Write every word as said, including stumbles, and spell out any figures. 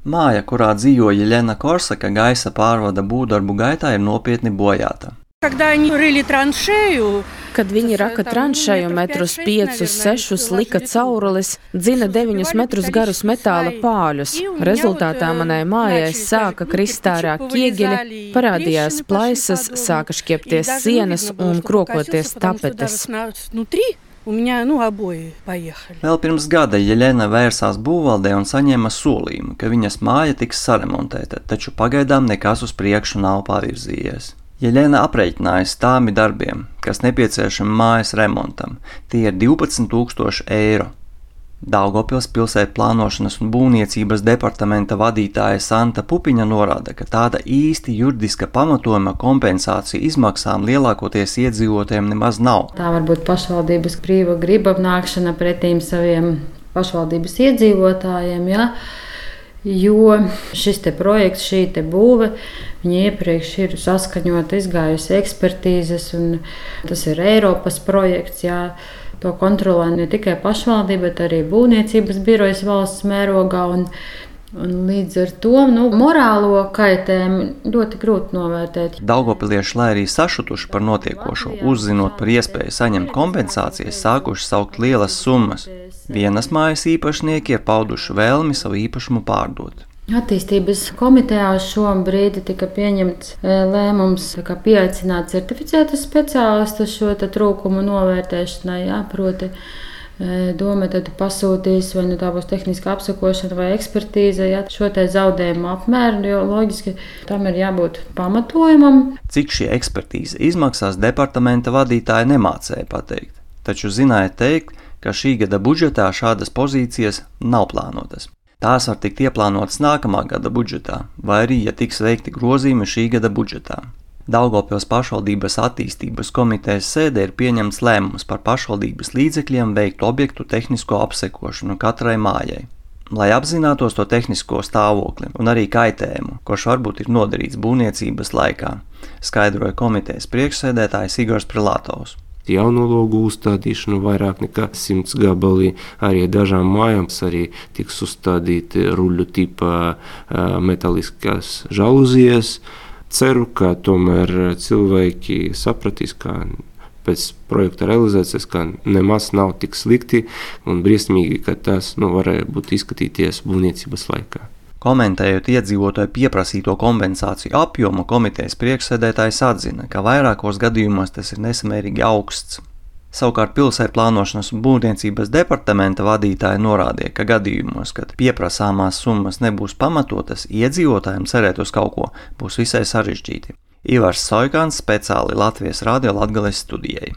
Māja, kurā dzīvo Jeļena Korsaka, gaisa pārvada būvdarbu gaitā ir nopietni bojāta. Kad viņi raka tranšeju metrus piecus, sešus, lika caurulis, dzina deviņus metrus garus metāla pāļus. Rezultātā manai mājai sāka krist ārā ķieģeļi, parādījās plaisas, sāka šķiepties sienas un krokoties tapetes. Vēl pirms gada Jeļena vērsās būvvaldē un saņēma solījumu, ka viņas māja tiks saremontēta, taču pagaidām nekas uz priekšu nav pavirzījies. Jeļena aprēķināja stāmi darbiem, kas nepieciešami mājas remontam. Tie ir divpadsmit tūkstoši eiro. Daugavpils pilsētu plānošanas un būvniecības departamenta vadītāja Santa Pupiņa norāda, ka tāda īsti juridiska pamatojuma kompensācija izmaksām lielākoties iedzīvotājiem nemaz nav. Tā var būt pašvaldības brīva griba nākšana pretīm saviem pašvaldības iedzīvotājiem, ja? Jo šis te projekts, šī te būve, viņa iepriekš ir saskaņota, izgājusi ekspertīzes, un tas ir Eiropas projekts, jā. To kontrolē ne tikai pašvaldība, bet arī būvniecības birojas valsts mērogā, un, un līdz ar to nu, morālo kaitējumu ļoti grūti novērtēt. Daugavpilieši, lai arī sašutuši par notiekošo, uzzinot par iespēju saņemt kompensācijas, sākuši saukt lielas summas. Vienas mājas īpašnieki ir pauduši vēlmi savu īpašumu pārdot. Attīstības komitejā šobrīd tika pieņemts lēmums pieaicināt certificētus speciālistus šo trūkumu novērtēšanai. Jā, proti, doma tad pasūtīs, vai nu tā būs tehniska apsakošana vai ekspertīze, jā, šo te zaudējumu apmēru, jo loģiski tam ir jābūt pamatojumam. Cik šī ekspertīze izmaksās, departamenta vadītāja nemācēja pateikt, taču zināja teikt, ka šī gada budžetā šādas pozīcijas nav plānotas. Tās var tikt ieplānotas nākamā gada budžetā, vai arī, ja tiks veikti grozījumi šī gada budžetā. Daugavpils pašvaldības attīstības komitejas sēdē ir pieņemts lēmums par pašvaldības līdzekļiem veikt objektu tehnisko apsekošanu katrai mājai, lai apzinātos to tehnisko stāvokli un arī kaitējumu, kurš varbūt ir nodarīts būvniecības laikā, skaidroja komitejas priekšsēdētājs Igors Prilātovs. Jaunologu uzstādīšanu vairāk nekā simts gabalī, arī dažām mājām arī tiks uzstādīti ruļu tipa metaliskas žaluzijas. Ceru, ka tomēr cilvēki sapratīs, ka pēc projekta realizācijas, ka nemaz nav tik slikti un briesmīgi, ka tas nu, varēja būt izskatīties būvniecības laikā. Komentējot iedzīvotāju pieprasīto kompensāciju apjomu, komitejas priekšsēdētājs atzina, ka vairākos gadījumos tas ir nesamērīgi augsts. Savukārt pilsētu plānošanas un būvniecības departamenta vadītāja norādīja, ka gadījumos, kad pieprasāmās summas nebūs pamatotas, iedzīvotājiem cerēt uz kaut ko būs visai sarežģīti. Ivars Soikāns speciāli Latvijas radio Latgales studijai.